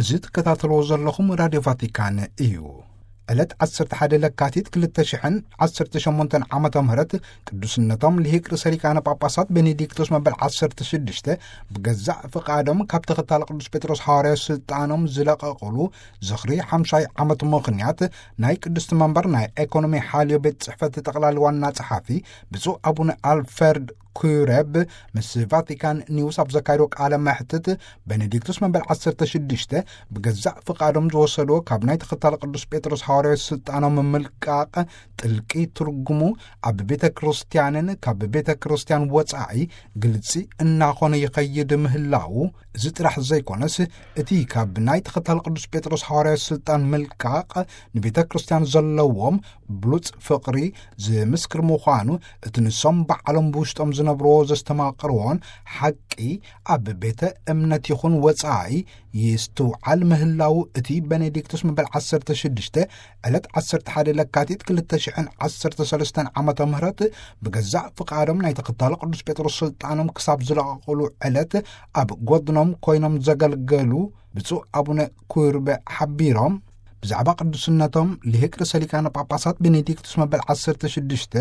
እዚ ትከታተልዎ ዘለኹም ራድዮ ቫቲካን እዩ። ዕለት ዓሰርተ ሓደ ለካቲት ክልተ ሽሕን ዓሰርተ ሸሞንተን ዓመተ ምህረት ቅዱስነቶም ልሂቅ ርእሰ ሊቃነ ጳጳሳት ቤኔዲክቶስ መበል ዓሰርተ ሽዱሽተ ብገዛእ ፍቓዶም ካብ ተኸታሊ ቅዱስ ጴጥሮስ ሃዋርያዊ ስልጣኖም ዝለቐቑሉ ዝኽሪ ሓምሳይ ዓመት ምኽንያት ናይ ቅድስቲ መንበር ናይ ኤኮኖሚ ሓልዮ ቤት ጽሕፈት ጠቕላሊ ዋና ጸሓፊ ብፁዕ ኣቡነ ኣልፈርድ ኩረብ ምስ ቫቲካን ኒውስ ኣብ ዘካየዶ ቃለ መሕትት፣ ቤኔዲክቱስ መበል ዓሰርተ ሽዱሽተ ብገዛእ ፍቓዶም ዝወሰድዎ ካብ ናይ ተኸታሊ ቅዱስ ጴጥሮስ ሃዋርያዊ ስልጣኖም ምልቃቕ ጥልቂ ትርጉሙ ኣብ ቤተ ክርስቲያንን ካብ ቤተ ክርስቲያን ወጻኢ ግልጺ እናኾነ ይኸይድ ምህላዉ፣ እዚ ጥራሕ ዘይኮነስ፣ እቲ ካብ ናይ ተኸታሊ ቅዱስ ጴጥሮስ ሃዋርያዊ ስልጣን ምልቃቕ ንቤተ ክርስቲያን ዘለዎም ብሉጽ ፍቕሪ ዝምስክር ምዃኑ፣ እቲ ንሶም ባዕሎም ብውሽጦም ዝነብርዎ ዘስተማቕርዎን ሓቂ ኣብ ቤተ እምነት ይኹን ወጻኢ ይስትውዓል ምህላዉ፣ እቲ ቤኔዲክቱስ መበል ዓሰርተ ሽዱሽተ ዕለት ዓሰርተ ሓደ ለካቲት ክልተ ሽሕን ዓሰርተ ሰለስተን ዓመተ ምህረት ብገዛእ ፍቓዶም ናይ ተኸታሊ ቅዱስ ጴጥሮስ ስልጣኖም ክሳብ ዝለቐቑሉ ዕለት ኣብ ጎድኖም ኮይኖም ዘገልገሉ ብፁዕ ኣቡነ ኩርበ ሓቢሮም፣ ብዛዕባ ቅዱስነቶም ልሂቅ ርእሰ ሊቃነ ጳጳሳት ቤኔዲክቱስ መበል ዓሰርተ ሽዱሽተ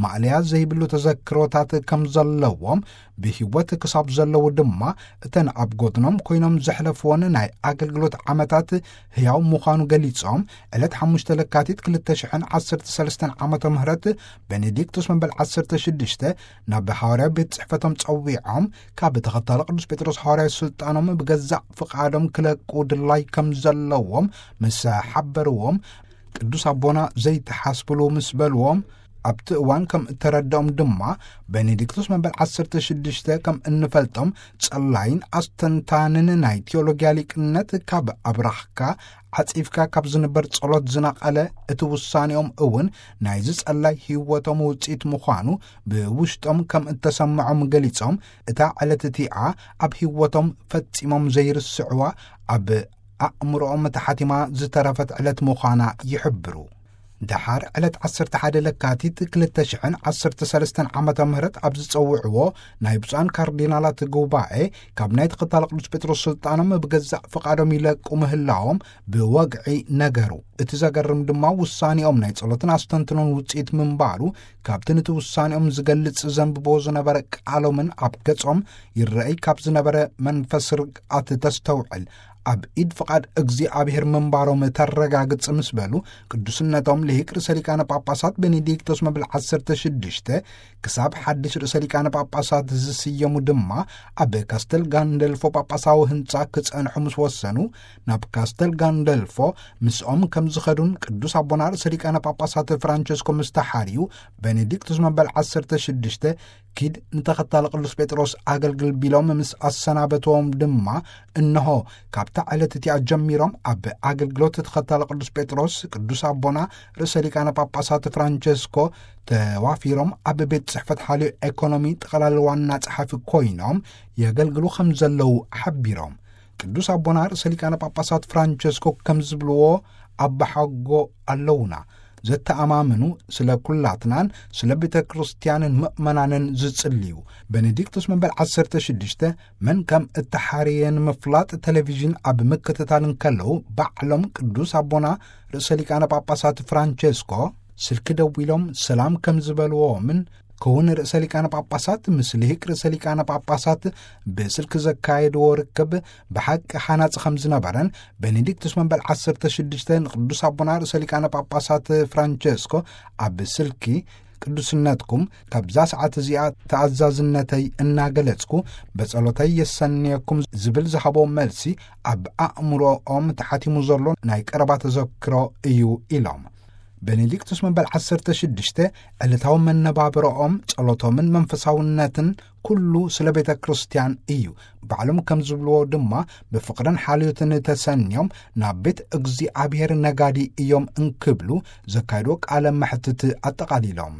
ማእለያ ዘይብሉ ተዘክሮታት ከም ዘለዎም፣ ብህይወት ክሳብ ዘለዉ ድማ እተን ኣብ ጎድኖም ኮይኖም ዘሕለፍዎን ናይ ኣገልግሎት ዓመታት ህያው ምዃኑ ገሊጾም፣ ዕለት ሓሙሽተ ለካቲት ክልተ ሽሕን ዓሰርተ ሰለስተን ዓመተ ምህረት ቤኔዲክቱስ መበል ዓሰርተ ሽዱሽተ ናብ ሃዋርያዊ ቤት ጽሕፈቶም ጸዊዖም፣ ካብ ተኸታሊ ቅዱስ ጴጥሮስ ሃዋርያዊ ስልጣኖም ብገዛእ ፍቓዶም ክለቁ ድላይ ከም ዘለዎም ምስ ሓበርዎም፣ ቅዱስ ኣቦና ዘይተሓስብሉ ምስ በልዎም፣ ኣብቲ እዋን ከም እተረድኦም ድማ፣ ቤኔዲክቱስ መበል ዓሰርተ ሽዱሽተ ከም እንፈልጦም ጸላይን ኣስተንታንን ናይ ቴዎሎጊያ ሊቅነት ካብ ኣብራኽካ ዓጺፍካ ካብ ዝንበር ጸሎት ዝነቐለ፣ እቲ ውሳኔኦም እውን ናይዚ ጸላይ ህይወቶም ውጽኢት ምዃኑ ብውሽጦም ከም እተሰምዖም ገሊጾም፣ እታ ዕለት እቲኣ ኣብ ህይወቶም ፈጺሞም ዘይርስዕዋ፣ ኣብ ኣእምሮኦም ተሓቲማ ዝተረፈት ዕለት ምዃና ይሕብሩ። ደሓር ዕለት ዓሰርተ ሓደ ለካቲት ክልተ ሽሕን ዓሰርተ ሰለስተን ዓመተ ምህረት ኣብ ዝጸውዕዎ ናይ ብፁዓን ካርዲናላት ጉባኤ፣ ካብ ናይ ተኸታሊ ቅዱስ ጴጥሮስ ስልጣኖም ብገዛእ ፍቓዶም ይለቁ ምህላዎም ብወግዒ ነገሩ። እቲ ዘገርም ድማ ውሳኔኦም ናይ ጸሎትን ኣስተንትኖን ውጽኢት ምንባሩ፣ ካብቲ ነቲ ውሳኔኦም ዝገልጽ ዘንብቦ ዝነበረ ቃሎምን ኣብ ገጾም ይረኣይ ካብ ዝነበረ መንፈስ ርግኣት ተስተውዕል። ኣብ ኢድ ፍቓድ እግዚኣብሔር ምንባሮም ተረጋግጽ ምስ በሉ፣ ቅዱስነቶም ልሂቅ ርእሰ ሊቃነ ጳጳሳት ቤኔዲክቶስ መብል ዓሰርተ ሽዱሽተ ክሳብ ሓድሽ ርእሰ ሊቃነ ጳጳሳት ዝስየሙ ድማ፣ ኣብ ካስተል ጋንደልፎ ጳጳሳዊ ህንጻ ክጸንሑ ምስ ወሰኑ፣ ናብ ካስተል ጋንደልፎ ምስኦም ከም ዝኸዱን ቅዱስ ኣቦና ርእሰ ሊቃነ ጳጳሳት ፍራንቸስኮ ምስ ተሓርዩ፣ ቤኔዲክቶስ መበል ዓሰርተ ሽዱሽተ ኪድ ንተኸታሊ ቅዱስ ጴጥሮስ ኣገልግል ቢሎም ምስ ኣሰናበትዎም ድማ፣ እንሆ፣ ካብታ ዕለት እቲኣ ጀሚሮም ኣብ ኣገልግሎት ተኸታሊ ቅዱስ ጴጥሮስ፣ ቅዱስ ኣቦና ርእሰ ሊቃነ ጳጳሳት ፍራንቸስኮ ተዋፊሮም ኣብ ቤት ጽሕፈት ሓልዮ ኤኮኖሚ ጠቕላሊ ዋና ጸሓፊ ኮይኖም የገልግሉ ከም ዘለዉ ሓቢሮም። ቅዱስ ኣቦና ርእሰ ሊቃነ ጳጳሳት ፍራንቸስኮ ከም ዝብልዎ፣ ኣባሓጎ ኣለዉና፣ ዘተኣማምኑ፣ ስለ ኩላትናን ስለ ቤተ ክርስቲያንን ምእመናንን ዝጽልዩ። ቤኔዲክቶስ መበል ዓሰርተ ሽዱሽተ መን ከም እተሓርየ ንምፍላጥ ቴሌቪዥን ኣብ ምክትታል እንከለዉ፣ ባዕሎም ቅዱስ ኣቦና ርእሰ ሊቃነ ጳጳሳት ፍራንቸስኮ ስልኪ ደዊሎም ሰላም ከም ዝበልዎምን፣ ክውን ርእሰ ሊቃነ ጳጳሳት ምስ ልሂቅ ርእሰ ሊቃነ ጳጳሳት ብስልኪ ዘካየድዎ ርክብ ብሓቂ ሃናጺ ከም ዝነበረን፣ ቤኔዲክቱስ መበል ዓሰርተ ሽዱሽተ ንቅዱስ ኣቦና ርእሰ ሊቃነ ጳጳሳት ፍራንቸስኮ ኣብ ስልኪ፣ ቅዱስነትኩም፣ ካብዛ ሰዓት እዚኣ ተኣዛዝነተይ እናገለጽኩ፣ በጸሎተይ የሰንየኩም ዝብል ዝሃቦ መልሲ፣ ኣብ ኣእምሮኦም ተሓቲሙ ዘሎ ናይ ቀረባ ተዘክሮ እዩ ኢሎም። ቤኔዲክቱስ መበል ዓሰርተ ሽዱሽተ ዕለታዊ መነባብሮኦም፣ ጸሎቶምን መንፈሳውነትን ኩሉ ስለ ቤተ ክርስቲያን እዩ። ባዕሎም ከም ዝብልዎ ድማ፣ ብፍቕርን ሓልዮትን ተሰንዮም ናብ ቤት እግዚኣብሔር ነጋዲ እዮም እንክብሉ ዘካየድዎ ቃለ መሕትት ኣጠቓሊሎም።